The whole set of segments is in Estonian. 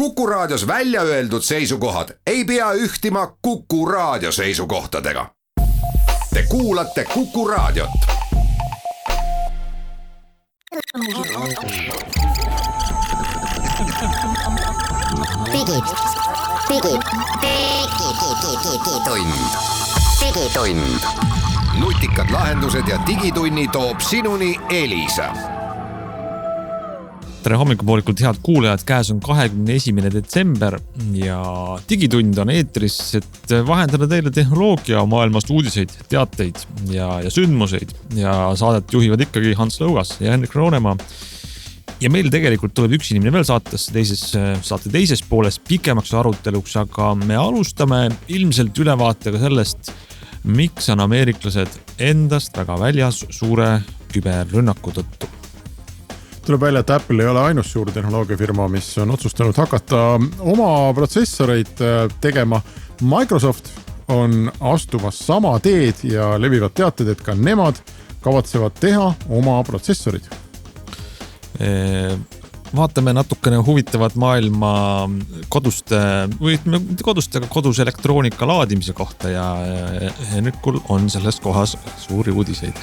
Kuku Raadios välja öeldud seisukohad ei pea ühtima Kuku Raadio seisukohtadega. Te kuulate Kuku Raadiot. Digitund. Nutikad lahendused ja digitunni toob sinuni Elisa. Tere hommikupoolikult head kuulajad, käes on 21. detsember ja digitund on eetris, et vahendada teile tehnoloogia maailmast uudiseid, teateid ja sündmuseid ja saadet juhivad ikkagi Hans Lõugas ja Henrik Roonemaa. Ja meil tegelikult tuleb üks inimene veel saate teises pooles pikemaks aruteluks, aga me alustame ilmselt ülevaatega sellest, miks on ameeriklased endast väga väljas suure küberrünnaku tõttu. Tuleb välja, et Apple ei ole ainus suur tehnoloogiafirma, mis on otsustanud hakata oma protsessoreid tegema. Microsoft on astumas sama teed ja levivad teated, et ka nemad kavatsevad teha oma protsessorid. Vaatame natukene huvitavat maailma kodus elektroonika laadimise kohta ja Henrikul on selles kohas suuri uudiseid.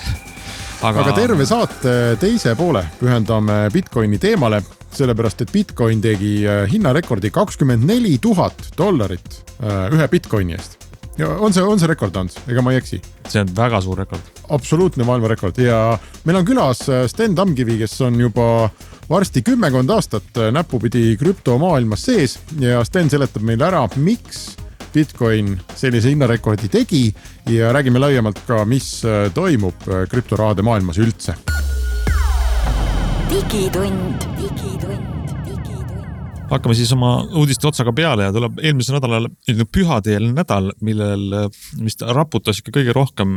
Aga terve saate teise poole pühendame Bitcoini teemale, sellepärast et Bitcoin tegi hinnarekordi $24,000 ühe Bitcoini eest. Ja on see rekord, Hans? Ega ma ei eksi? See on väga suur rekord. Absoluutne maailmarekord ja meil on külas Sten Tamkivi, kes on juba varsti 10 aastat näpupidi krüptomaailmas sees ja Sten seletab meile ära, miks Bitcoin sellise hinnarekordi tegi ja räägime laiemalt ka, mis toimub krüptorahade maailmas üldse. Digitund. Hakkame siis oma uudiste otsaga peale ja tuleb eelmisel nädalal pühadeelne nädal, mis raputas ikka kõige rohkem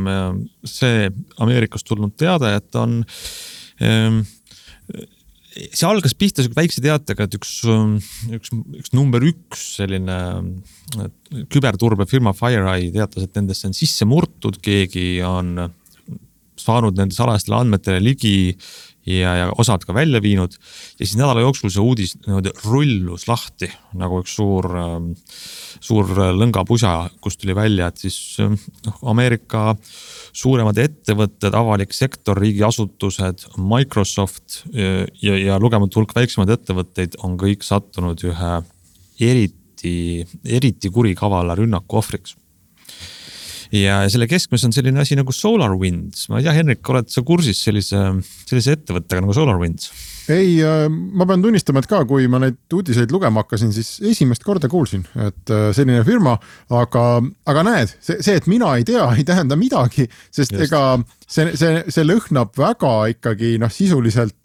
see Ameerikast tulnud teada, et on see algas pihta väikse teatega, et üks number 1 selline küberturbefirma FireEye teatas, et nendesse on sisse murtud, keegi on saanud nende salajastele andmetele ligi ja osad ka välja viinud ja siis nädala jooksul see uudis rullus lahti nagu üks suur lõngapusa, kus tuli välja, et siis Ameerika suuremad ettevõtted, avalik sektor, riigiasutused, Microsoft ja lugematu hulk väiksemad ettevõtteid on kõik sattunud ühe eriti kurikavala rünnaku ohvriks. Ja selle keskmes on selline asi nagu SolarWinds. Ma ei tea, Henrik, oled sa kursis sellise ettevõttega nagu SolarWinds? Ei, ma pean tunnistama, et ka kui ma neid uudiseid lugema hakkasin, siis esimest korda kuulsin, et selline firma, aga näed, see, et mina ei tea, ei tähenda midagi, sest just. Ega see lõhnab väga ikkagi sisuliselt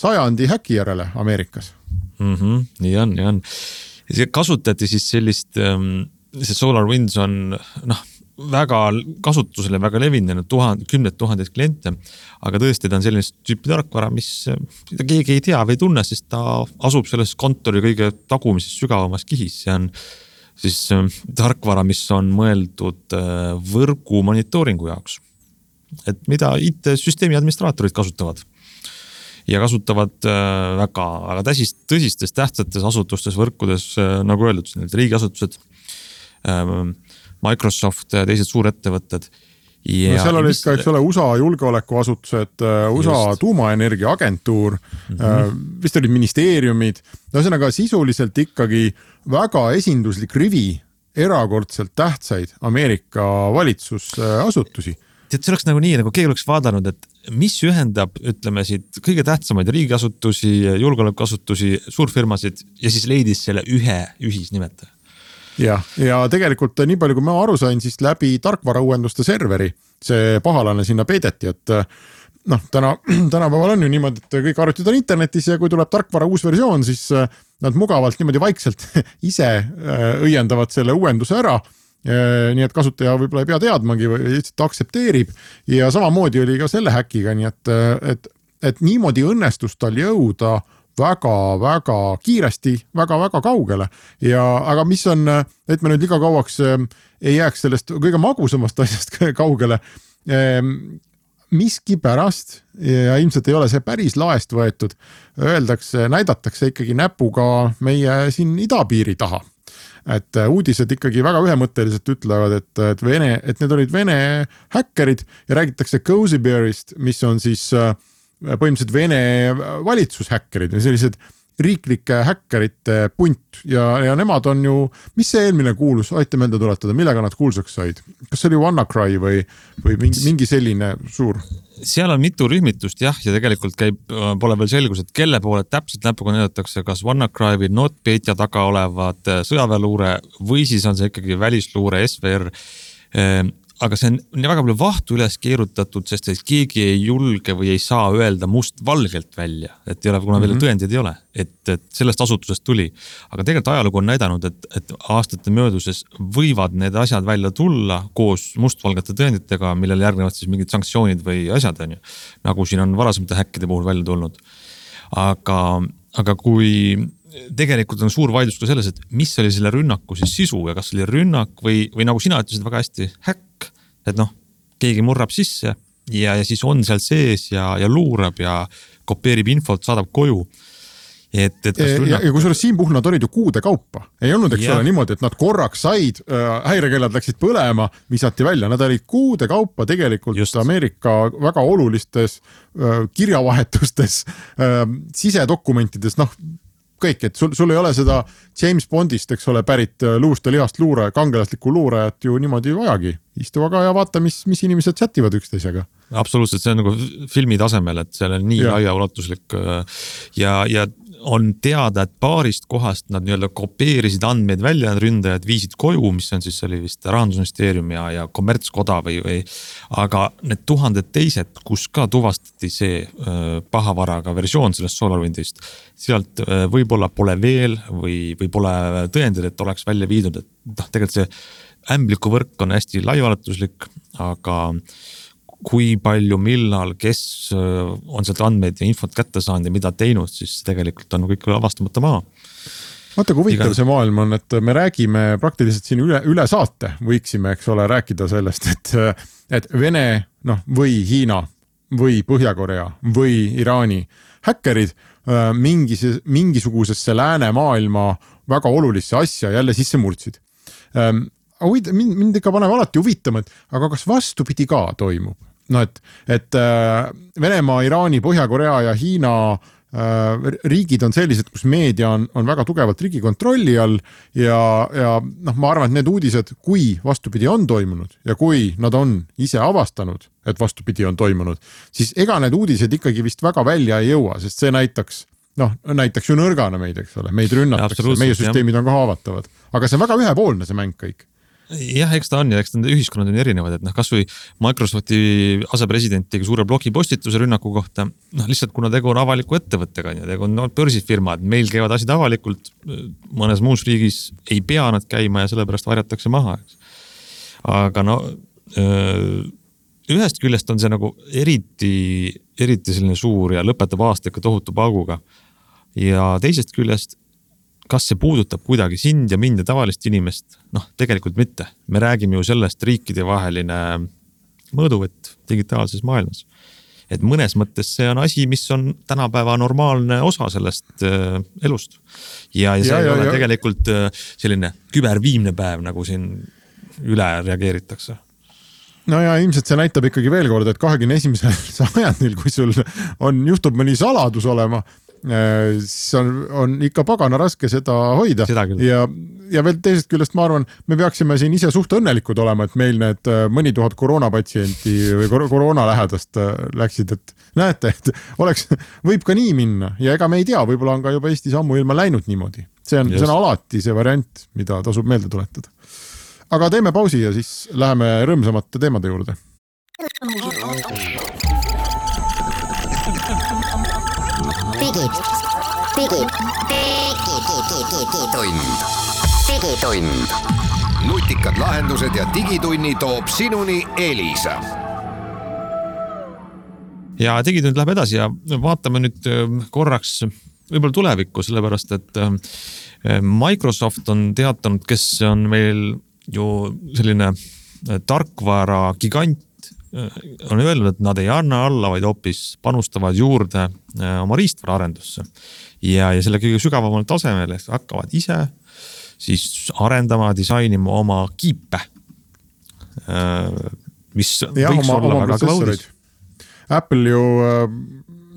sajandi häki järele Ameerikas. Nii on. See kasutati siis sellist, see SolarWinds on väga kasutusele väga levinenud 10,000 kliente, aga tõesti ta on sellist tüüpi tarkvara, mida keegi ei tea või tunne, sest ta asub selles kontori kõige tagumises sügavamas kihis. See on siis tarkvara, mis on mõeldud võrgu monitooringu jaoks, et mida IT-süsteemi administraatorid kasutavad ja kasutavad väga tõsistes tähtsates asutustes, võrkudes, nagu öeldud, riigiasutused, Microsoft ja teised suurettevõtted. Seal olid ka, eks ole, USA julgeolekuasutused, USA tuumaenergia agentuur, vist olid ministeeriumid, ühesõnaga sisuliselt ikkagi väga esinduslik rivi erakordselt tähtsaid Ameerika valitsusasutusi. See oleks nagu nii, nagu keegi oleks vaadanud, et mis ühendab, ütleme siit, kõige tähtsamaid riigiasutusi, julgeolekuasutusi, suurfirmasid ja siis leidis selle ühe ühisnimetaja. Ja tegelikult nii palju, kui ma aru sain, siis läbi tarkvarauuenduste serveri see pahalane sinna peideti, et tänapäeval on ju niimoodi, et kõik arvutid on internetis ja kui tuleb tarkvara uus versioon, siis nad mugavalt niimoodi vaikselt ise õiendavad selle uuenduse ära, nii et kasutaja võib-olla ei pea teadmagi või lihtsalt aksepteerib ja samamoodi oli ka selle häkiga, nii et niimoodi õnnestus tal jõuda väga kiiresti, väga kaugele. Aga mis on, et me nüüd liiga kauaks ei jääks sellest kõige magusamast asjast kaugele. miski pärast ja ilmselt ei ole see päris laest võetud, näidatakse ikkagi näpuga meie siin idapiiri taha. Et uudised ikkagi väga ühemõtteliselt ütlevad, et need olid Vene häkkerid ja räägitakse Cozy Bearist, mis on siis põhimõtteliselt Vene valitsushäkkerid või sellised riiklike häkkerite punt ja nemad on ju, mis see eelmine kuulus, aita meelde tuletada, millega nad kuulsaks said? Kas see oli WannaCry või mingi selline suur? Seal on mitu rühmitust jah, ja tegelikult pole veel selgus, et kelle poole täpselt näpuga näidatakse, kas WannaCry või NotPetya taga olevad sõjaväeluure või siis on see ikkagi välisluure SVR. Aga see on väga palju vahtu üles keerutatud, sest keegi ei julge või ei saa öelda must-valgelt välja, et ei ole, kuna veel tõendeid ei ole, et sellest asutusest tuli. Aga tegelikult ajalugu on näidanud, et aastate mööduses võivad need asjad välja tulla koos mustvalgete tõenditega, millele järgnevad siis mingid sanktsioonid või asjad on ju, nagu siin on varasemate häkkide puhul välja tulnud. Aga kui tegelikult on suur vaidlus ka selles, et mis oli selle rünnaku siis sisu ja kas oli rünnak või nagu sina ütlesid väga hästi, häkk, et keegi murrab sisse ja siis on seal sees ja luurab ja kopeerib infot, saadab koju. Ja kusjuures siin puhul nad olid ju kuude kaupa. Ei olnud, eks ole niimoodi, et nad korraks said, häirekellad läksid põlema, visati välja. Nad olid kuude kaupa tegelikult just Ameerika väga olulistes kirjavahetustes, sisedokumentides, kõik, et sul ei ole seda James Bondist, eks ole, pärit luust ja lihast kangelaslikku luurajat ju niimoodi vajagi. Istu aga ja vaata, mis inimesed chattivad üksteisega. Absoluutselt, see on nagu filmi tasemel, et seal on nii laiaulatuslik ja on teada, et paarist kohast nad nii-öelda kopeerisid andmeid välja, ründajad viisid koju, mis on siis oli vist Rahandusministeerium ja kommertskoda või aga need tuhanded teised, kus ka tuvastati see pahavaraga versioon sellest SolarWindist, sealt võib-olla pole veel või pole tõendid, et oleks välja viidud, et tegelikult see ämbliku võrk on hästi laiaulatuslik, aga kui palju, millal, kes on sealt andmeid ja infot kätte saanud ja mida teinud, siis tegelikult on kõik avastamata maa. Vaata, kui huvitav see maailm on, et me räägime praktiliselt siin üle saate, võiksime, eks ole, rääkida sellest, et Vene või Hiina või Põhja-Korea või Iraani häkkerid mingisugusesse lääne maailma väga olulisse asja jälle sisse murdsid. Mind ikka paneb alati huvitama, aga kas vastupidi ka toimub? Et Venemaa, Iraani, Põhja-Korea ja Hiina riigid on sellised, kus meedia on väga tugevalt riigi kontrolli all ja ma arvan, et need uudised, kui vastupidi on toimunud ja kui nad on ise avastanud, et vastupidi on toimunud, siis ega need uudised ikkagi vist väga välja ei jõua, sest see näitaks ju nõrgana meid, eks ole, meid rünnatakse, meie süsteemid on ka haavatavad. Aga see on väga ühepoolne see mäng kõik. Jah, eks ta on ja eks ta ühiskonnad on erinevad, et kas või Microsofti asepresident tegi suure blogipostituse rünnaku kohta, lihtsalt kuna tegu on avaliku ettevõttega, tegu on börsifirmad, meil käivad asjad avalikult, mõnes muus riigis ei pea nad käima ja sellepärast varjatakse maha. Aga ühest küljest on see nagu eriti selline suur ja lõpetab aastaga tohutu pauguga ja teisest küljest kas see puudutab kuidagi sind ja mind ja tavalist inimest? Tegelikult mitte. Me räägime ju sellest riikide vaheline mõõduvõtt digitaalses maailmas. Et mõnes mõttes see on asi, mis on tänapäeva normaalne osa sellest elust. Ja see ei ole tegelikult selline küberviimne päev, nagu siin üle reageeritakse. Ja ilmselt see näitab ikkagi veel kord, et 21. sajandil, kui sul juhtub mõni saladus olema, siis on ikka pagana raske seda hoida ja veel teisest küljest ma arvan, me peaksime siin ise suht õnnelikud olema, et meil need mõni tuhat koroonapatsienti või koroonalähedast läksid, et näete, et võib ka nii minna ja ega me ei tea, võib-olla on ka juba Eestis ammu ilma läinud niimoodi. See on alati see variant, mida tasub meelde tuletada. Aga teeme pausi ja siis läheme rõõmsamate teemade juurde. Digitund. Nutikad lahendused ja digitunni toob sinuni Elisa. Ja digitund läheb edasi ja vaatame nüüd korraks võib-olla tulevikku, sellepärast et Microsoft on teatanud, kes on meil ju selline tarkvara gigant on öelnud, et nad ei anna alla, vaid hoopis panustavad juurde oma riistvara arendusse. Ja selle kõige sügavamal tasemel hakkavad ise siis arendama, disainima oma kiipe, mis võiks olla väga kõva uudis. Apple ju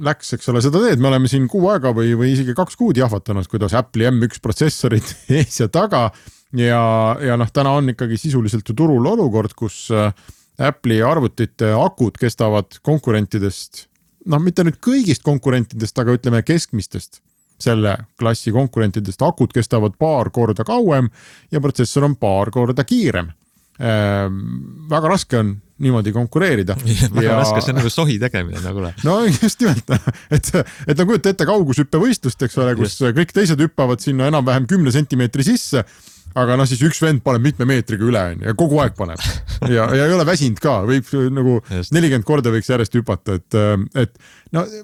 läks, eks ole, seda teed, me oleme siin kuu aega või isegi 2 kuud jahvatanud, kuidas Apple'i M1 protsessorid ees ja taga ja täna on ikkagi sisuliselt ju turul olukord, kus Apple'i arvutite akud kestavad konkurentidest, mitte nüüd kõigist konkurentidest, aga ütleme keskmistest, selle klassi konkurentidest akud kestavad paar korda kauem ja protsessor on paar korda kiirem. Väga raske on niimoodi konkureerida. Väga raske, see on nagu sohi tegemine nagu. No just nimelt, et kujuta ette kaugushüppe võistlust, eks ole, kus kõik teised hüppavad sinna enam-vähem 10 sentimeetri sisse, aga siis üks vend paneb mitme meetriga üle ja kogu aeg paneb ja ei ole väsinud ka, võib nagu 40 korda võiks järjest hüpata, et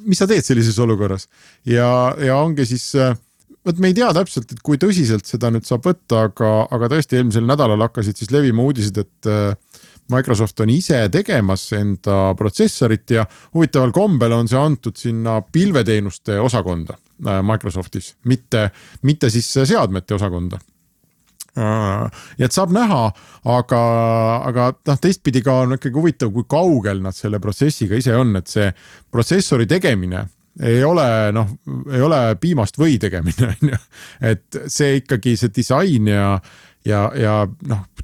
mis sa teed sellises olukorras ja ongi siis me ei tea täpselt, et kui tõsiselt seda nüüd saab võtta, aga tõesti eelmisel nädalal hakkasid siis levima uudised, et Microsoft on ise tegemas enda protsessorit ja huvitaval kombel on see antud sinna pilveteenuste osakonda Microsoftis, mitte siis seadmete osakonda. Ja et saab näha, aga teistpidi ka on ikkagi huvitav, kui kaugel nad selle protsessiga ise on, et see protsessori tegemine ei ole piimast või tegemine, et see ikkagi see disain ja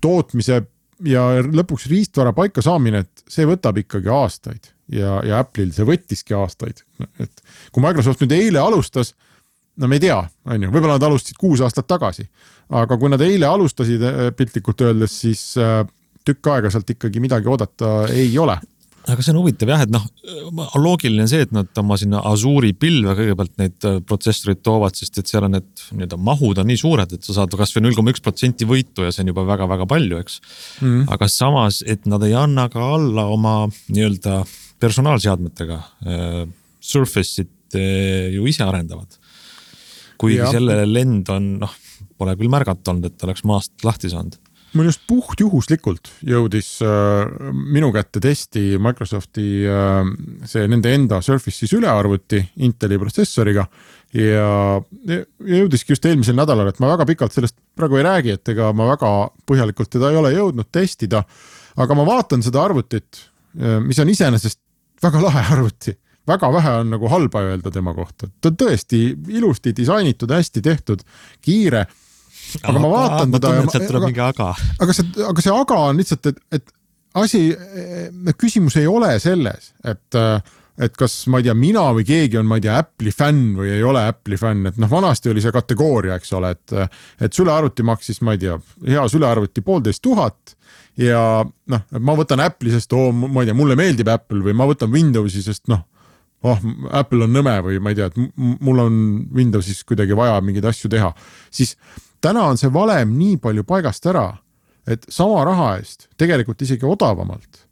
tootmise ja lõpuks riistvara paika saamine, et see võtab ikkagi aastaid ja Apple'il see võttiski aastaid, et kui Microsoft nüüd eile alustas, me ei tea, võib-olla nad alustasid 6 aastat tagasi, aga kui nad eile alustasid piltlikult öeldes, siis tükk aega sealt ikkagi midagi oodata ei ole. Aga see on huvitav jah, et loogiline see, et nad oma sinna Azure'i pilve kõigepealt neid protsessorid toovad, sest et seal on need mahud on nii suured, et sa saad kas või 0,1% võitu ja see on juba väga-väga palju, eks. Aga samas, et nad ei anna ka alla oma nii-öelda personaalseadmetega. Surface'it ju ise arendavad. Kuigi selle lend on, pole küll märgata olnud, et oleks maast lahti saanud. Mul just puhtjuhuslikult jõudis minu kätte testi Microsofti see nende enda Surface siis ülearvuti Inteli protsessoriga ja jõudiski just eelmisel nädalal, et ma väga pikalt sellest praegu ei räägi, et ega ma väga põhjalikult teda ei ole jõudnud testida, aga ma vaatan seda arvutit, mis on iseenesest väga lahe arvuti. Väga vähe on nagu halba öelda tema kohta. Ta on tõesti ilusti disainitud, hästi tehtud, kiire. Aga ma vaatan teda aga see aga on lihtsalt, et küsimus ei ole selles, et kas ma ei tea, mina või keegi on, ma ei tea, Apple'i fänn või ei ole Apple'i fänn, et vanasti oli see kategooria, eks ole, et sülearvuti maksis, ma ei tea, hea sülearvuti 1500 ja ma võtan Apple'i, sest ma ei tea, mulle meeldib Apple või ma võtan Windowsi, sest Apple on nõme või ma ei tea, et mul on Windowsis kuidagi vaja mingeid asju teha, siis täna on see valem nii palju paigast ära, et sama raha eest, tegelikult isegi odavamalt,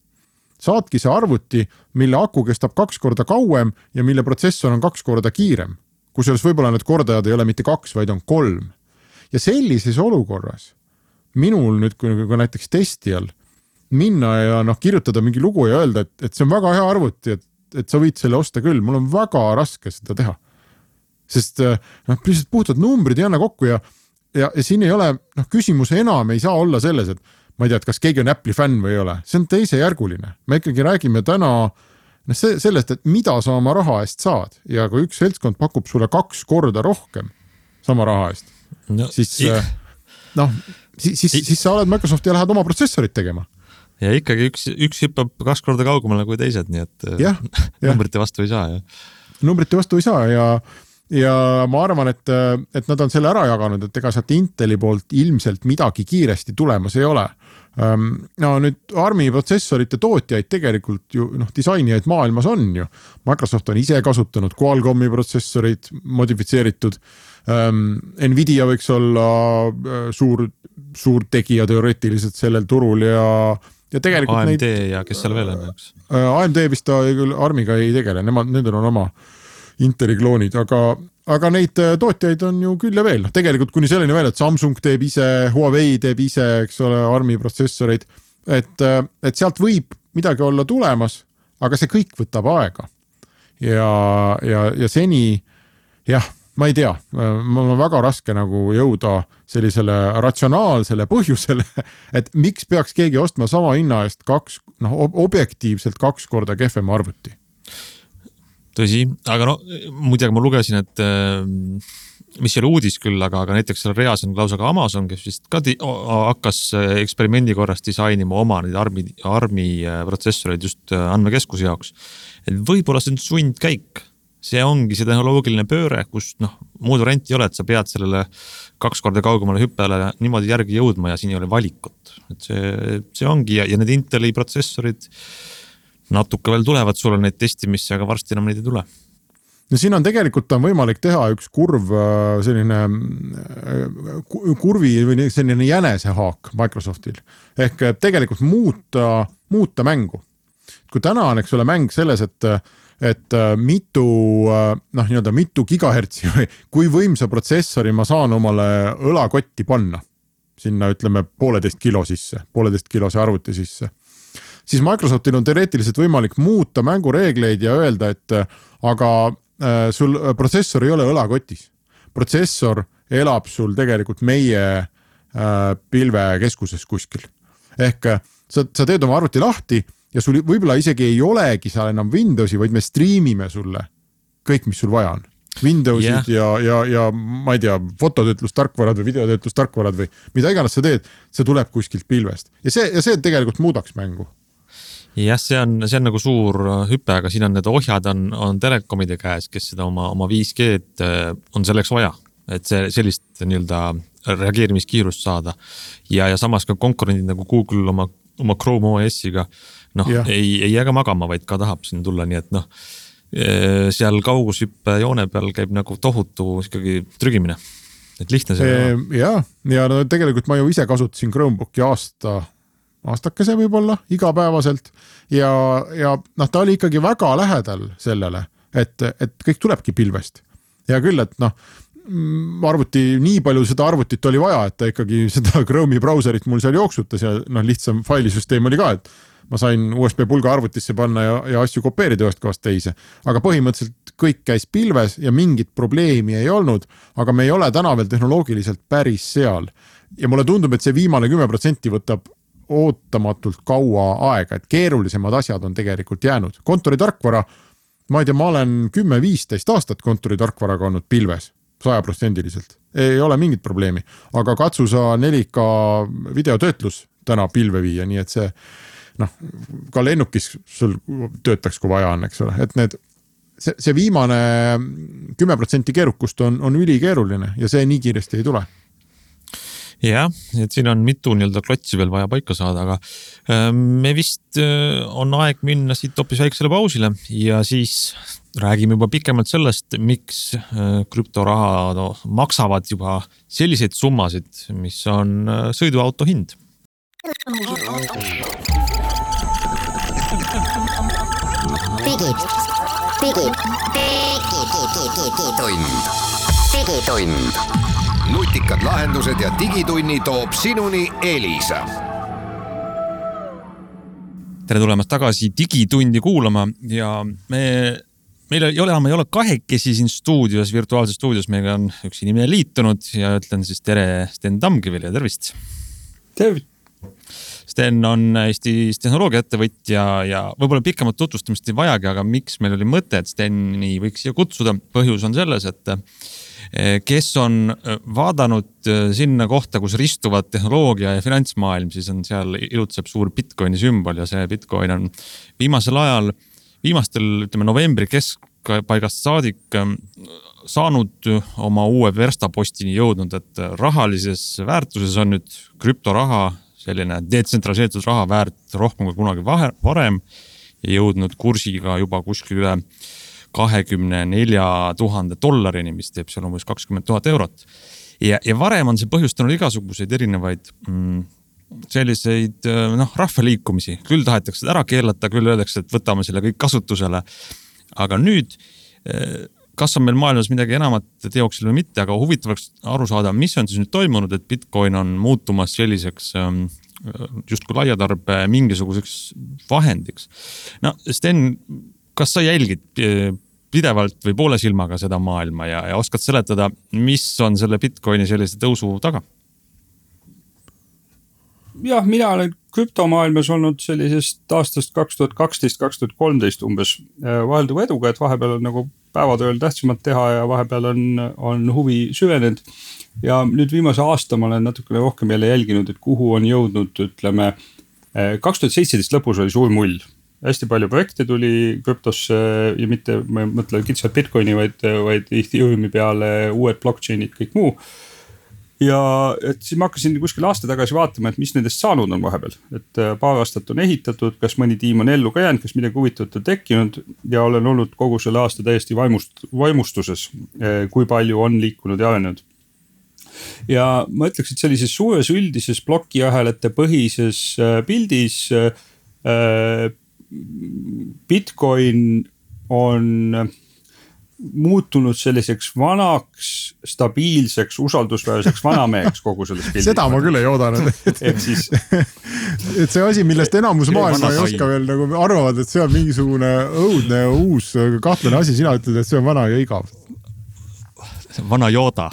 saadki see arvuti, mille aku kestab 2 korda kauem ja mille protsessor on 2 korda kiirem. Kusjuures võib-olla need kordajad ei ole mitte 2, vaid on 3. Ja sellises olukorras minul nüüd, kui näiteks testijal minna ja kirjutada mingi lugu ja öelda, et see on väga hea arvuti, et sa võid selle osta küll, mul on väga raske seda teha. Sest lihtsalt puhtad numbrid ei anna kokku ja siin ei ole, küsimus enam ei saa olla selles, et ma ei tea, et kas keegi on Apple'i fänn või ei ole. See on teisejärguline. Me ikkagi räägime täna sellest, et mida sa oma raha eest saad ja kui üks seltskond pakub sulle 2 korda rohkem sama raha eest, siis sa oled Microsoft ja lähed oma protsessorit tegema. Ja ikkagi üks hüppab 2 korda kaugemale kui teised, nii et numbrite vastu ei saa. Numbrite vastu ei saa ja ma arvan, et nad on selle ära jaganud, et ega sealt Inteli poolt ilmselt midagi kiiresti tulemas ei ole. Nüüd ARMi protsessorite tootjaid tegelikult ju disainijaid maailmas on ju. Microsoft on ise kasutanud Qualcomm'i protsessorid modifitseeritud. Nvidia võiks olla suur tegija teoreetiliselt sellel turul ja tegelikult AMD ja kes seal veel on, eks? AMD vist ta küll ARMiga ei tegele, nendel on oma Inteli kloonid, aga neid tootjaid on ju küll ja veel. Tegelikult kuni selleni veel, et Samsung teeb ise, Huawei teeb ise, eks ole, ARMi protsessoreid, et sealt võib midagi olla tulemas, aga see kõik võtab aega. Ja seni, jah, ma ei tea, mul on väga raske nagu jõuda sellisele ratsionaalsele põhjusele, et miks peaks keegi ostma sama hinna eest objektiivselt 2 korda kehvema arvuti. Tõsi, aga muidugi ma lugesin, et mis ei ole uudis küll, aga näiteks seal reas on lausa ka Amazon, kes vist ka hakkas eksperimendi korras disainima oma neid ARMi protsessoreid just andmekeskuse jaoks. Et võib-olla see on sundkäik. See ongi see tehnoloogiline pööre, kus muud varianti ei ole, et sa pead sellele 2 korda kaugemale hüppele niimoodi järgi jõudma ja siin ei ole valikut. Et see ongi ja need Inteli protsessorid natuke veel tulevad sulle neid testimisse, aga varsti enam neid ei tule. No siin on tegelikult võimalik teha üks selline kurvi või selline jänesehaak Microsoftil. Ehk tegelikult muuta mängu. Kui täna on, eks ole, mäng selles, et mitu gigahertsi või kui võimsa protsessori ma saan omale õlakotti panna. Sinna ütleme 1,5 kilo sisse, 1,5 kilose arvuti sisse. Siis Microsoftil on teoreetiliselt võimalik muuta mängureegleid ja öelda, et aga sul protsessor ei ole õlakotis. Protsessor elab sul tegelikult meie pilvekeskuses kuskil. Ehk sa teed oma arvuti lahti ja sul võib-olla isegi ei olegi seal enam Windowsi, vaid me streamime sulle kõik, mis sul vaja on. Windowsid ja ma ei tea, fototöötlustarkvarad või videotöötlustarkvarad või mida iganes sa teed, see tuleb kuskilt pilvest. Ja see tegelikult muudaks mängu. Jah, see on nagu suur hüpe, aga siin on need ohjad on telekomide käes, kes seda oma 5G on selleks vaja, et sellist nii-öelda reageerimiskiirust saada. Ja samas ka konkurendid nagu Google oma Chrome OS-iga ei jääga magama, vaid ka tahab sinna tulla, nii et seal kaugushüppe joone peal käib nagu tohutu ikkagi trügimine. Et lihtne see on. Ja tegelikult ma ju ise kasutasin Chromebooki aastakese võib-olla igapäevaselt ja ta oli ikkagi väga lähedal sellele, et kõik tulebki pilvest. Ja küll, et nii palju seda arvutit oli vaja, et ta ikkagi seda Chrome'i brauserit mul seal jooksutas ja lihtsam failisüsteem oli ka, et ma sain USB pulga arvutisse panna ja asju kopeerida ühest kohast teise. Aga põhimõtteliselt kõik käis pilves ja mingit probleemi ei olnud, aga me ei ole täna veel tehnoloogiliselt päris seal. Ja mulle tundub, et see viimane 10% võtab ootamatult kaua aega, et keerulisemad asjad on tegelikult jäänud. Kontoritarkvara, ma ei tea, ma olen 10-15 aastat kontoritarkvaraga olnud pilves, 100%. Ei ole mingit probleemi, aga katsu sa 4K videotöötlus täna pilve viia, nii et see ka lennukis sul töötaks, kui vaja on, eks ole. Et see viimane 10% keerukust on ülikeeruline ja see nii kiiresti ei tule. Jah, et siin on mitu nii-öelda klotsi veel vaja paika saada, aga me vist on aeg minna siit hoopis väiksele pausile ja siis räägime juba pikemalt sellest, miks krüptoraha maksavad juba selliseid summasid, mis on sõiduauto hind. Digitund. Nutikad lahendused ja digitunni toob sinuni Elisa. Tere tulemast tagasi digitundi kuulama ja meil ei ole kahekesi siin stuudios, virtuaalses stuudios, meiega on üks inimene liitunud ja ütlen siis tere Sten Tamkivile ja tervist. Tervist. Sten on Eestis tehnoloogiaettevõtja ja võib-olla pikemat tutvustamist ei vajagi, aga miks meil oli mõte, et Steni võiks siia kutsuda? Põhjus on selles, et kes on vaadanud sinna kohta, kus ristuvad tehnoloogia ja finantsmaailm, siis on seal ilutseb suur Bitcoini sümbol ja see Bitcoin on viimastel novembri keskpaigast saadik saanud oma uue verstapostini jõudnud, et rahalises väärtuses on nüüd krüptoraha, selline detsentraliseeritud raha väärt rohkem kui kunagi varem ja jõudnud kursiga juba kuskil üle $24,000, mis teeb seal umbes 20 000 eurot. Ja varem on see põhjustanud igasuguseid erinevaid selliseid rahvaliikumisi. Küll tahetakse ära keelata, küll öeldakse, et võtame selle kõik kasutusele. Aga nüüd, kas on meil maailmas midagi enamat teoksel või mitte, aga huvitavaks aru saada, mis on siis nüüd toimunud, et Bitcoin on muutumas selliseks justkui laiatarbe mingisuguseks vahendiks. No Sten, kas sa jälgid pidevalt või poole silmaga seda maailma ja oskad seletada, mis on selle Bitcoini sellise tõusu taga? Jah, mina olen krüptomaailmas olnud sellisest aastast 2012-2013 umbes vahelduva eduga, et vahepeal on nagu päevatööl tähtsamad teha ja vahepeal on huvi süvenenud. Ja nüüd viimase aasta ma olen natukene rohkem jälle jälginud, et kuhu on jõudnud, ütleme, 2017 lõpus oli suur mull. Hästi palju projekte tuli krüptosse ja mitte, ma mõtlen kitsalt Bitcoini, vaid Ethereumi peale, uued blockchainid, kõik muu. Ja et siis ma hakkasin kuskil aasta tagasi vaatama, et mis nendest saanud on vahepeal. Et paar aastat on ehitatud, kas mõni tiim on ellu ka jäänud, kas midagi huvitavat on tekkinud ja olen olnud kogu selle aasta täiesti vaimustuses, kui palju on liikunud ja arenenud. Ja ma ütleks, et sellises suures üldises plokiahelate põhises pildis Bitcoin on muutunud selliseks vanaks, stabiilseks, usaldusväärseks vanameheks kogu selles pildis. Seda ma küll ei oodanud. Siis... et see asi, millest enamus maailma ei oska veel nagu arvavad, et see on mingisugune õudne uus kahtlane asi, sina ütled, et see on vana ja igav. Vana Yoda.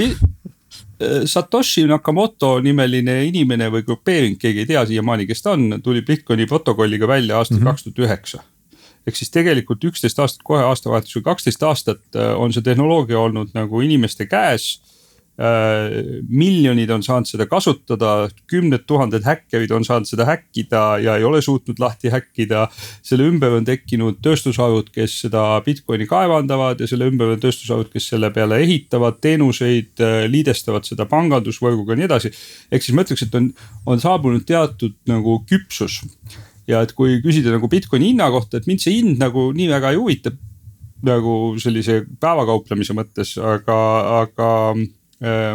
Satoshi Nakamoto nimeline inimene või grupeering, keegi ei tea siiamaani, kes ta on, tuli Bitcoini protokolliga välja aastal 2009. Ehk siis tegelikult 11 aastat, kohe aastavahetus või 12 aastat on see tehnoloogia olnud nagu inimeste käes. Miljonid on saanud seda kasutada, 10 000 häkkerid on saanud seda häkkida ja ei ole suutnud lahti häkkida. Selle ümber on tekkinud tööstusharud, kes seda Bitcoini kaevandavad ja selle ümber on tööstusharud, kes selle peale ehitavad teenuseid, liidestavad seda pangandusvõrguga ja nii edasi. Ehk siis ma ütleks, et on saabunud teatud nagu küpsus. Ja et kui küsida nagu Bitcoini hinna kohta, et mind see hind nagu nii väga ei huvita nagu sellise päevakauplemise mõttes, aga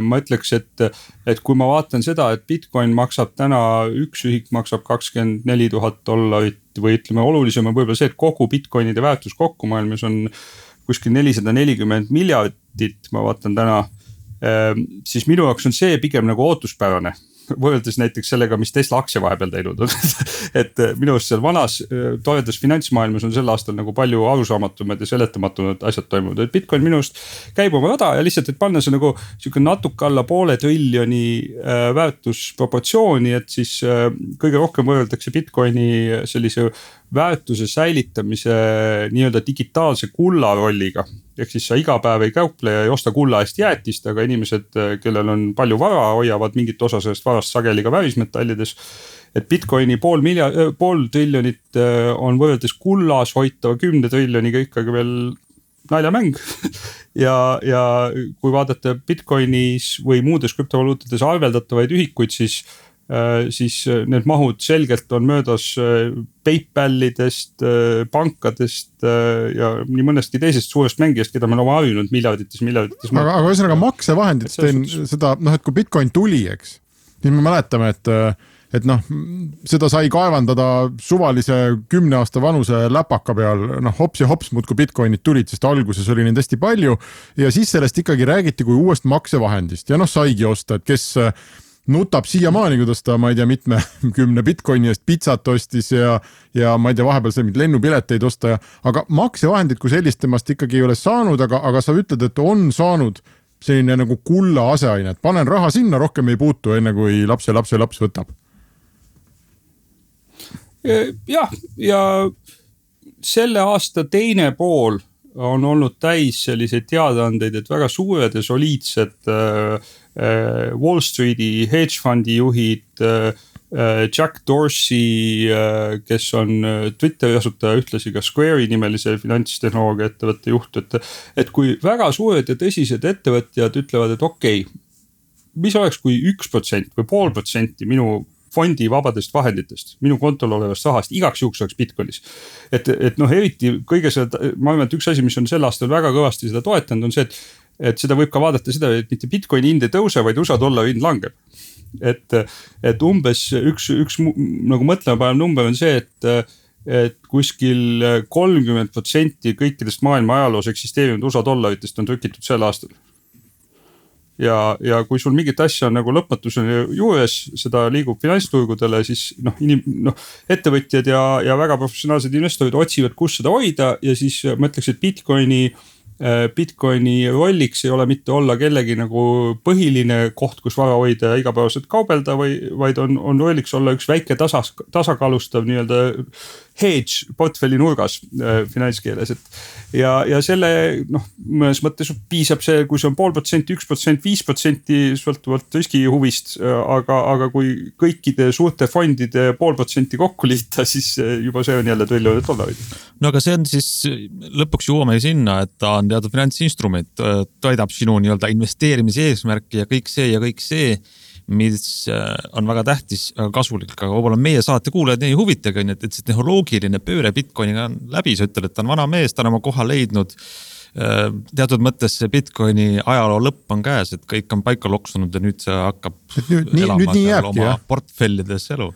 ma ütleks, et kui ma vaatan seda, et Bitcoin maksab täna, üks ühik maksab $24,000 või ütleme olulisem on võib-olla see, et kogu Bitcoinide väärtus kokku maailmas on kuskil 440 miljardit, ma vaatan täna, siis minu jaoks on see pigem nagu ootuspärane. Võrreldes näiteks sellega, mis Tesla aktsia vahepeal teinud on. Et minu arust seal vanas toredas finantsmaailmas on sel aastal nagu palju arusaamatumad ja seletamatumad asjad toimunud. Et Bitcoin minu arust käib oma rada ja lihtsalt, et panna see nagu natuke alla $500 triljoni väärtusproportsiooni, et siis kõige rohkem võrreldakse Bitcoini sellise väärtuse säilitamise nii-öelda digitaalse kulla rolliga. Ehk siis sa iga päev ei kauple ja ei osta kulla eest jäätist, aga inimesed, kellel on palju vara, hoiavad mingit osa sellest varast sageli ka värismetallides. Et Bitcoini $500 triljonit on võrreldes kullas hoitava 10 triljoniga ikkagi veel naljamäng. ja kui vaadata Bitcoinis või muudes krüptovaluutades arveldatavaid ühikuid, siis need mahud selgelt on möödas PayPalidest, pankadest ja nii mõnestki teisest suurest mängijast, keda me oleme harjunud miljardites. Aga ühesõnaga maksevahendid, seda, et kui Bitcoin tuli, eks, siis me mäletame, et seda sai kaevandada suvalise 10 aasta vanuse läpaka peal, hops ja hops muudkui Bitcoinid tulid, sest alguses oli neid hästi palju ja siis sellest ikkagi räägiti kui uuest maksevahendist ja saigi osta, et kes nutab siiamaani, kuidas ta, ma ei tea, mitme 10 Bitcoini eest pizzat ostis ja ma ei tea, vahepeal sai lennupileteid osta, aga maksevahendid kui sellist temast ikkagi ei ole saanud, aga sa ütled, et on saanud selline nagu kulla aseaine, et panen raha sinna, rohkem ei puutu enne kui laps võtab. Jah, ja selle aasta teine pool on olnud täis selliseid teadaandeid, et väga suured ja soliidsed Wall Streeti hedge fundi juhid, Jack Dorsey, kes on Twitteri asutaja, ühtlasi ka Square'i nimelise finantstehnoloogia ettevõtte juht, et kui väga suured ja tõsised ettevõtjad ütlevad, et okei, mis oleks kui 1% või 0,5% minu fondi vabadest vahenditest, minu kontol olevast rahast, igaks juhuks oleks Bitcoinis. Et eriti kõige seda, ma arvan, et üks asi, mis on sel aastal väga kõvasti seda toetanud, on see, et seda võib ka vaadata seda, et mitte Bitcoini hind ei tõuse, vaid USA dollari hind langeb. Et umbes üks nagu mõtlema panev number on see, et kuskil 30% kõikidest maailma ajaloos eksisteerinud USA dollaritest on trükitud sel aastal. ja kui sul mingit asja on nagu lõpmatuseni juures, seda liigub finantsturgudele, siis ettevõtjad ja väga professionaalsed investorid otsivad, kus seda hoida ja siis ma ütleks, et Bitcoini rolliks ei ole mitte olla kellegi nagu põhiline koht, kus vara hoida ja igapäevaselt kaubelda, vaid on rolliks olla üks väike tasakaalustav nii-öelda hedge portfelli nurgas finantskeeles. Ja selle mõnes mõttes piisab see, kui see on 0,5%, 1%, 5% sõltuvalt riskihuvist, aga kui kõikide suurte fondide 0,5% kokku liita, siis juba see on jälle triljonit dollarit. No aga see on siis lõpuks jõuame sinna, et ta on teatud finantsinstrument, toidab sinu nii-öelda investeerimise eesmärki ja kõik see, mis on väga tähtis, väga kasulik, aga võib-olla meie saate kuulajad ei huvitagi, et see tehnoloogiline pööre Bitcoiniga on läbi, sa ütled, et ta on vana mees, ta on oma koha leidnud. Teatud mõttes see Bitcoini ajaloo lõpp on käes, et kõik on paika loksunud ja nüüd see hakkab elama oma portfellides elu.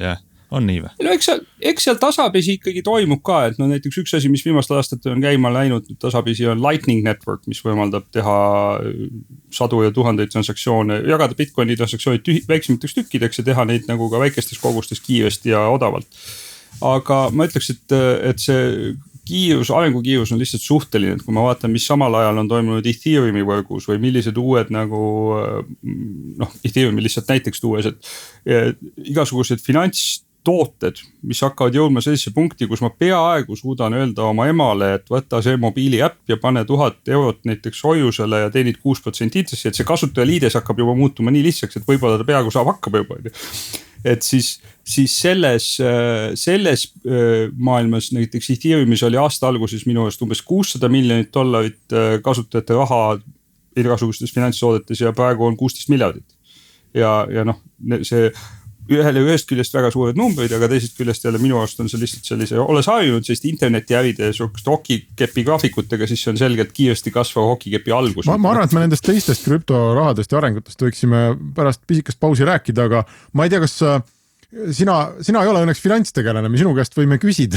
Jah. On nii või? No eks seal tasapisi ikkagi toimub ka, et näiteks üks asi, mis viimastel aastatel on käima läinud tasapisi on Lightning Network, mis võimaldab teha sadu ja tuhandeid transaktsioone, jagada Bitcoini transaktsioonid väiksemateks tükkideks ja teha neid nagu ka väikestes kogustes kiiresti ja odavalt. Aga ma ütleks, et see arengukiirus on lihtsalt suhteline, et kui ma vaatan, mis samal ajal on toimunud Ethereumi võrgus või millised uued nagu, Ethereumi lihtsalt näiteks tuues, et igasugused finantstooted, mis hakkavad jõudma sellisesse punkti, kus ma peaaegu suudan öelda oma emale, et võtta see mobiiliäpp ja pane 1000 eurot näiteks hoiusele ja teenid 6% intressi, et see kasutajaliides hakkab juba muutuma nii lihtsaks, et võib-olla ta peaaegu saab hakkama juba. Et siis selles maailmas näiteks Ethereumis oli aasta alguses minu eest umbes $600 miljonit kasutajate raha igasugustes finantstoodetes ja praegu on 16 miljardit. Ja see ühest küljest väga suured numbrid, aga teisest küljest jälle minu arust on see lihtsalt sellise, olles harjunud sellist internetiäride hokikepi graafikutega, siis see on selgelt kiiresti kasvav hokikepi algus. Ma arvan, et me nendest teistest krüptorahadest ja arengutest võiksime pärast pisikast pausi rääkida, aga ma ei tea, kas sina ei ole õnneks finantstegelane, me sinu käest võime küsida,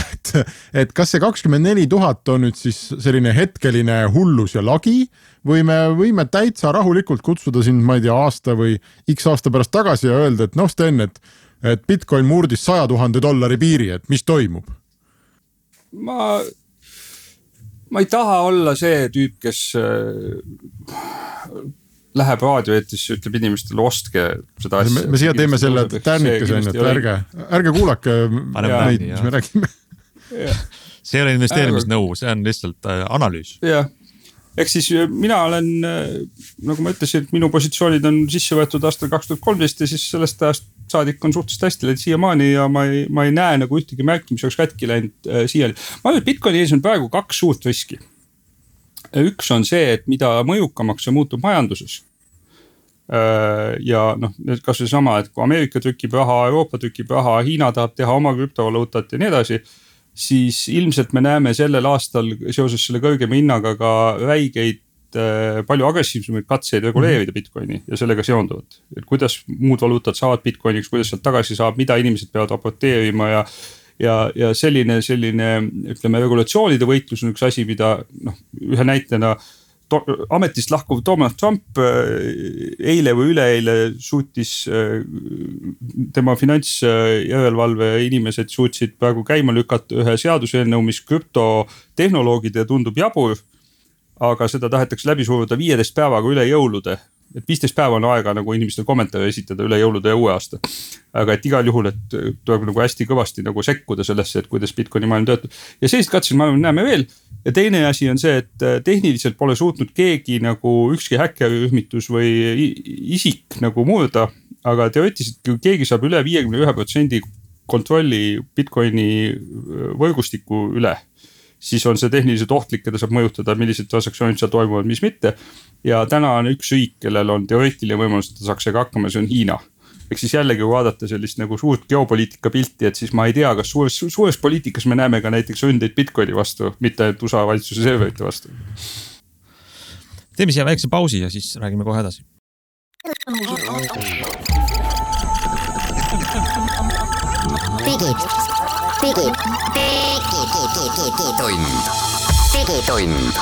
et kas see 24 000 on nüüd siis selline hetkeline hullus ja lagi või me võime täitsa rahulikult kutsuda sind, ma ei tea, aasta või x aasta pärast tagasi ja öelda, et Sten, et Bitcoin murdis $100,000 piiri, et mis toimub? Ma ei taha olla see tüüp, kes läheb raadioeetisse, ütleb inimestele ostke seda asja. Me siia teeme selle tärnikese, ärge kuulake neid, mis me räägime. See ei ole investeerimisnõu, see on lihtsalt analüüs. Jah, ehk siis mina olen, nagu ma ütlesin, et minu positsioonid on sisse võetud aastal 2013 ja siis sellest ajast saadik on suhteliselt hästi läinud siiamaani ja ma ei näe nagu ühtegi märki, mis oleks kätki läinud siiani. Ma arvan, et Bitcoini ees on praegu 2 suurt riski. Üks on see, et mida mõjukamaks see muutub majanduses. Ja kas see sama, et kui Ameerika trükib raha, Euroopa trükib raha, Hiina tahab teha oma krüptovaluutat ja nii edasi, siis ilmselt me näeme sellel aastal seoses selle kõrgema hinnaga ka räigeid palju agressiivsemaid katseid reguleerida Bitcoini ja sellega seonduvat. Et kuidas muud valuutad saavad Bitcoiniks, kuidas sealt tagasi saab, mida inimesed peavad raporteerima ja selline ütleme, regulatsioonide võitlus on üks asi, mida ühe näitena ametist lahkuv Donald Trump eile või üleeile suutis tema finantsjärelevalve inimesed suutsid praegu käima lükata ühe seaduseelnõu, mis krüptotehnoloogide tundub jabur, aga seda tahetakse läbi suruda 15 päevaga üle jõulude. Et 15 päeva on aega nagu inimestel kommentaare esitada üle jõulude ja uue aasta. Aga et igal juhul, et tuleb nagu hästi kõvasti nagu sekkuda sellesse, et kuidas Bitcoini maailm töötab. Ja sellist katseid maailm näeme veel. Ja teine asi on see, et tehniliselt pole suutnud keegi nagu ükski häkkerühmitus või isik nagu murda, aga teoreetiliselt kui keegi saab üle 51% kontrolli Bitcoini võrgustiku üle, siis on see tehniliselt ohtlik ja ta saab mõjutada, millised transaktsioonid seal toimuvad, mis mitte. Ja täna on üks riik, kellel on teoreetiline võimalus, et ta saaks ega hakkama, see on Hiina. Ehk siis jällegi vaadata sellist nagu suurt geopoliitika pilti, et siis ma ei tea, kas suures poliitikas me näeme ka näiteks ründeid Bitcoini vastu, mitte USA valitsuse serverite vastu. Teeme siia väikse pausi ja siis räägime kohe edasi. Digitund.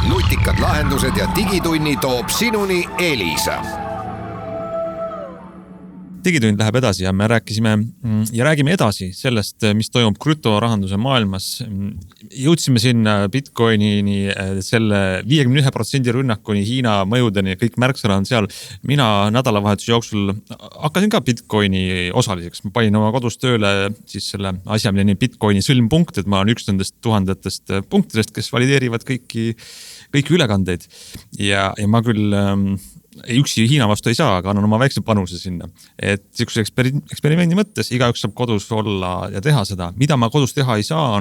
nutikad lahendused ja digitunni toob sinuni Elisa. digitund läheb edasi ja me räägime edasi sellest, mis toimub krüptorahanduse maailmas. Jõudsime sinna Bitcoinini, selle 51% rünnakuni, Hiina mõjudeni, kõik märksõna on seal. Mina nädalavahetuse jooksul hakkasin ka Bitcoini osaliseks. Ma panin oma kodus tööle siis selle asja, mille Bitcoini sõlmpunkt, et ma olen üks nendest tuhandetest punktidest, kes valideerivad kõiki ülekandeid. Ja ma küll üksi Hiina vastu ei saa, aga annan oma väikse panuse sinna. Et siukse eksperimendi mõttes igaüks saab kodus olla ja teha seda. Mida ma kodus teha ei saa,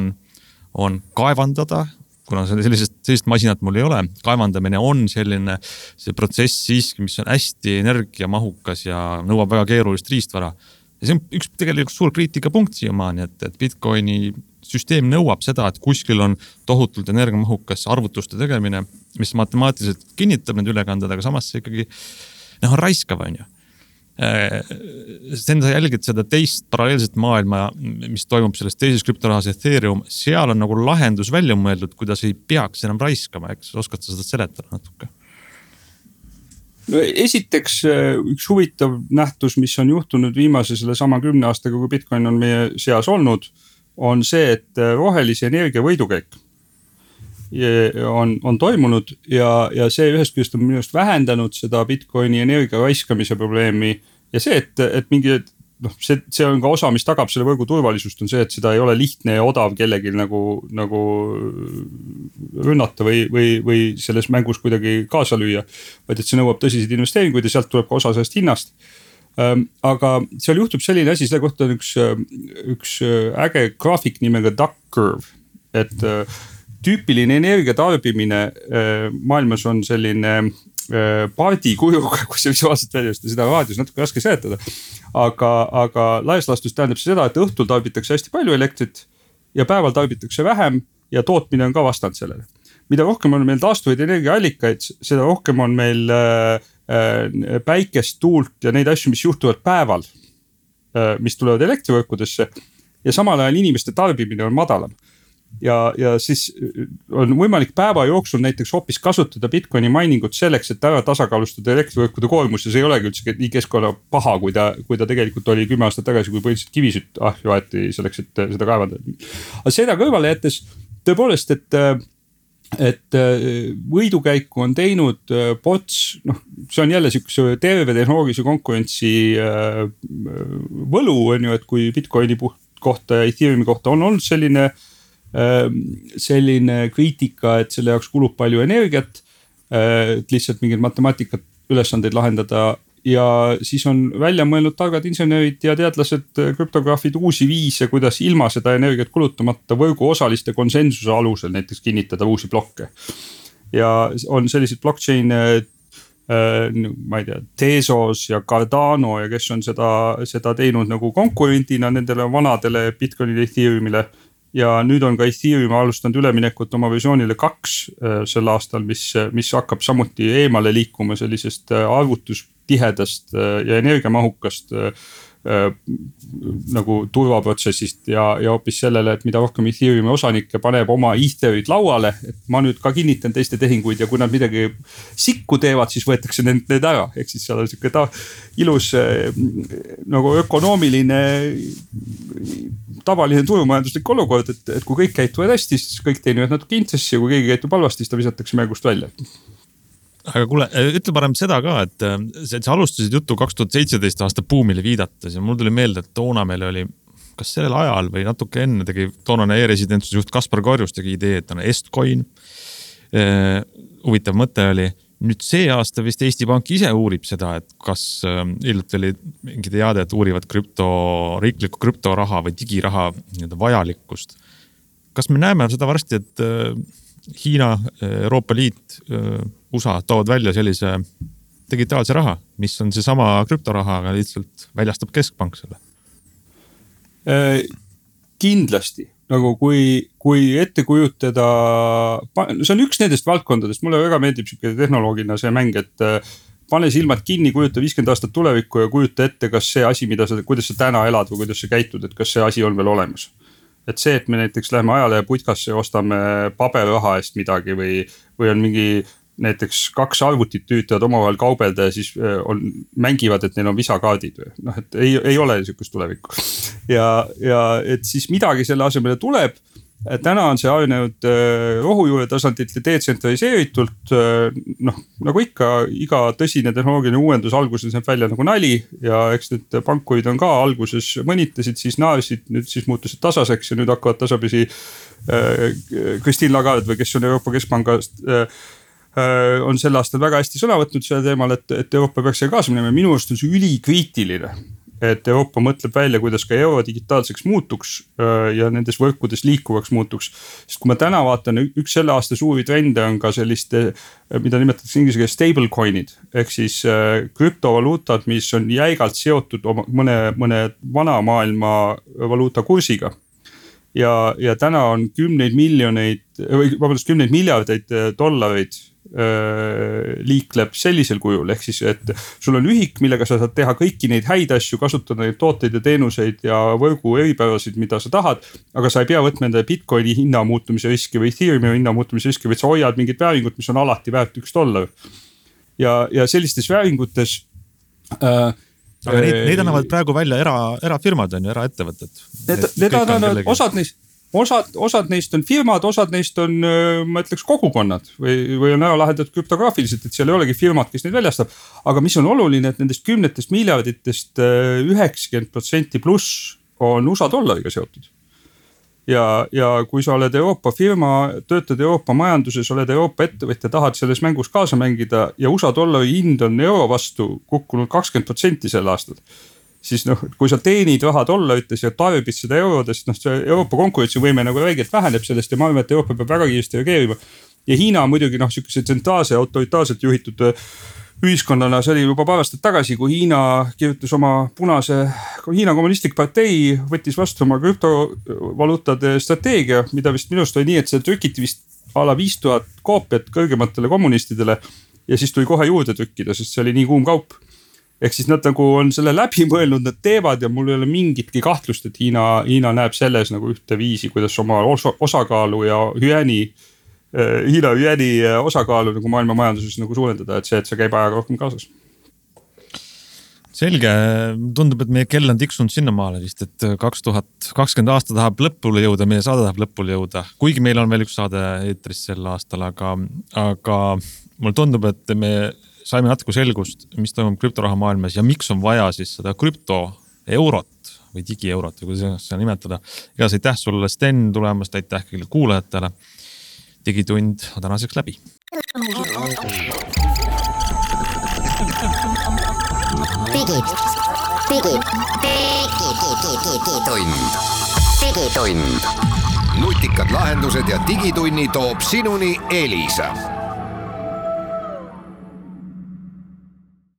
on kaevandada, kuna sellist masinat mul ei ole. Kaevandamine on see protsess siiski, mis on hästi energiamahukas ja nõuab väga keerulist riistvara. Ja see on üks tegelikult suur kriitikapunkt siiamaani, et Bitcoini süsteem nõuab seda, et kuskil on tohutult energiamahukas arvutuste tegemine, mis matemaatiliselt kinnitab need ülekanded, aga samas see ikkagi on raiskav, on ju. Sa jälgid seda teist paralleelset maailma, mis toimub selles teises krüptorahas Ethereum, seal on nagu lahendus välja mõeldud, kuidas ei peaks enam raiskama, eks oskad sa seda seletada natuke? No, esiteks üks huvitav nähtus, mis on juhtunud viimase selle sama 10 aastaga, kui Bitcoin on meie seas olnud, on see, et rohelise energia võidukäik on toimunud ja see ühest küljest on minust vähendanud seda Bitcoini energia raiskamise probleemi ja see, et mingi, see on ka osa, mis tagab selle võrgu turvalisust, on see, et seda ei ole lihtne ja odav kellegi nagu rünnata või selles mängus kuidagi kaasa lüüa, vaid et see nõuab tõsiseid investeeringuid ja sealt tuleb ka osa sellest hinnast. Aga seal juhtub selline asi, selle kohta on üks äge graafik nimega duck curve, et tüüpiline energiatarbimine maailmas on selline paardikujuga, kui see visuaalselt väljast, seda raadios natuke raske seletada, aga laias laastus tähendab seda, et õhtul tarbitakse hästi palju elektrit ja päeval tarbitakse vähem ja tootmine on ka vastand sellele. Mida rohkem on meil taastuvaid energiaallikaid, seda rohkem on meil päikest, tuult ja neid asju, mis juhtuvad päeval, mis tulevad elektrivõrkudesse ja samal ajal inimeste tarbimine on madalam. Ja siis on võimalik päeva jooksul näiteks hoopis kasutada Bitcoini miningut selleks, et ära tasakaalustada elektrivõrkude koormus ja see ei olegi üldse nii keskkonna paha, kui ta tegelikult oli 10 aastat tagasi, kui põhiliselt kivisütt ahju selleks, et seda kaevandada. Aga seda kõrvale jättes tõepoolest, et võidukäiku on teinud POTS, see on jälle siukse terve tehnoloogilise konkurentsi võlu, on ju, et kui Bitcoini kohta ja Ethereumi kohta on olnud selline kriitika, et selle jaoks kulub palju energiat, et lihtsalt mingid matemaatikat ülesandeid lahendada ja siis on välja mõelnud targad insenerid ja teadlased, krüptograafid uusi viise, kuidas ilma seda energiat kulutamata võrgu osaliste konsensuse alusel näiteks kinnitada uusi blokke. Ja on sellised blockchain, ma ei tea, Tezos ja Cardano ja kes on seda teinud nagu konkurendina nendele vanadele Bitcoinile, Ethereumile. Ja nüüd on ka Ethereum alustanud üleminekut oma versioonile 2 sel aastal, mis hakkab samuti eemale liikuma sellisest arvutustihedast ja energiamahukast nagu turvaprotsessist ja hoopis sellele, et mida rohkem Ethereumi osanikke paneb oma Ethereid lauale, et ma nüüd ka kinnitan teiste tehinguid ja kui nad midagi sikku teevad, siis võetakse need ära. Ehk siis seal on siuke ilus nagu ökonoomiline tavaline turumajanduslik olukord, et kui kõik käituvad hästi, siis kõik teenivad natuke intressi ja kui keegi käitub halvasti, siis ta visatakse mängust välja. Aga kuule, ütle parem seda ka, et sa alustasid juttu 2017 aasta buumile viidates ja mul tuli meelde, et toona meil oli, kas sellel ajal või natuke enne tegi toonane e-residentsuse juht Kaspar Korjus tegi idee, et on Estcoin. Huvitav mõte oli, nüüd see aasta vist Eesti Pank ise uurib seda, et kas ilmselt oli mingi teade, et uurivad riiklikku krüptoraha või digiraha vajalikkust. Kas me näeme seda varsti, et Hiina, Euroopa Liit, USA toovad välja sellise digitaalse raha, mis on see sama krüptoraha, aga lihtsalt väljastab keskpank selle? Kindlasti, nagu kui ette kujutada, see on üks nendest valdkondadest, mulle väga meeldib tehnoloogina see mäng, et pane silmad kinni, kujuta 50 aastat tulevikku ja kujuta ette, kas see asi, kuidas sa täna elad või kuidas sa käitud, et kas see asi on veel olemas. et see, et me näiteks läheme ajalehe putkasse ja ostame paberraha eest midagi või on mingi näiteks 2 arvutit tüütavad omavahel kaubelda ja siis mängivad, et neil on visakaardid või noh, et ei ole niisugust tulevikku. Ja et siis midagi selle asemele tuleb. Täna on see arenenud rohujuure tasandilt ja detsentraliseeritult, noh nagu ikka iga tõsine tehnoloogiline uuendus alguses näeb välja nagu nali ja eks need pankurid on ka alguses mõnitasid, siis naersid, nüüd siis muutusid tasaseks ja nüüd hakkavad tasapisi Christine Lagarde või kes on Euroopa Keskpangast on sel aastal väga hästi sõna võtnud selle teemal, et Euroopa peaks selle kaasa minema ja minu arust on see ülikriitiline. Et Euroopa mõtleb välja, kuidas ka euro digitaalseks muutuks ja nendes võrkudes liikuvaks muutuks. Sest kui ma täna vaatan, üks selle aasta suuri trende on ka selliste, mida nimetatakse inglise keeles stablecoinid, ehk siis krüptovaluutad, mis on jäigalt seotud mõne vana maailma valuuta kursiga. Ja täna on 10 miljardeid dollareid liikleb sellisel kujul, ehk siis, et sul on ühik, millega sa saad teha kõiki neid häid asju, kasutada neid tooteid ja teenuseid ja võrgu eripärasid, mida sa tahad, aga sa ei pea võtma enda Bitcoini hinna muutumise riski või Ethereumi hinna muutumise riski, vaid sa hoiad mingit vääringut, mis on alati väärt $1. Ja sellistes vääringutes aga neid annavad praegu välja erafirmad on ju, eraettevõtted. Need annavad osad neist on firmad, osad neist on, ma ütleks, kogukonnad või on ära lahendatud krüptograafiliselt, et seal ei olegi firmad, kes neid väljastab. Aga mis on oluline, et nendest 10 miljarditest 90% pluss on USA dollariga seotud. Ja kui sa oled Euroopa firma, töötad Euroopa majanduses, oled Euroopa ettevõtja, tahad selles mängus kaasa mängida ja USA dollari hind on euro vastu kukkunud 20% sel aastal. Siis noh, kui sa teenid raha dollarites ja tarbid seda eurodest, noh see Euroopa konkurentsivõime nagu väigelt väheneb sellest ja ma arvan, et Euroopa peab väga kiiresti reageerima. Ja Hiina muidugi noh, selline tsentraalse autoritaarselt juhitud ühiskonnana, see oli juba paar aastat tagasi, kui Hiina kirjutas oma punase Hiina kommunistlik partei, võttis vastu oma krüptovaluutade strateegia, mida vist minust oli nii, et see trükiti vist ala 5000 koopiat kõrgematele kommunistidele ja siis tuli kohe juurde trükkida, sest see oli nii kuum kaup. Ehk siis nad nagu on selle läbi mõelnud, nad teevad ja mul ei ole mingitki kahtlust, et Hiina näeb selles nagu ühte viisi, kuidas oma osakaalu ja Hiina hüeni osakaalu nagu maailma majanduses nagu suurendada, et see käib ajaga rohkem kaasas. Selge, tundub, et meie kell on tiksunud sinnamaale vist, et 2020 aasta tahab lõpule jõuda, meie saade tahab lõpule jõuda, kuigi meil on veel üks saade eetris sel aastal, aga mulle tundub, et me saime natuke selgust, mis toimub krüptoraha maailmas ja miks on vaja siis seda krüptoeurot või digieurot või kuidas seda nimetada. Igas aitäh sulle, Sten, tulemast, aitäh kõigile kuulajatele. Digitund on tänaseks läbi. Digitund. Nutikad lahendused ja digitunni toob sinuni Elisa.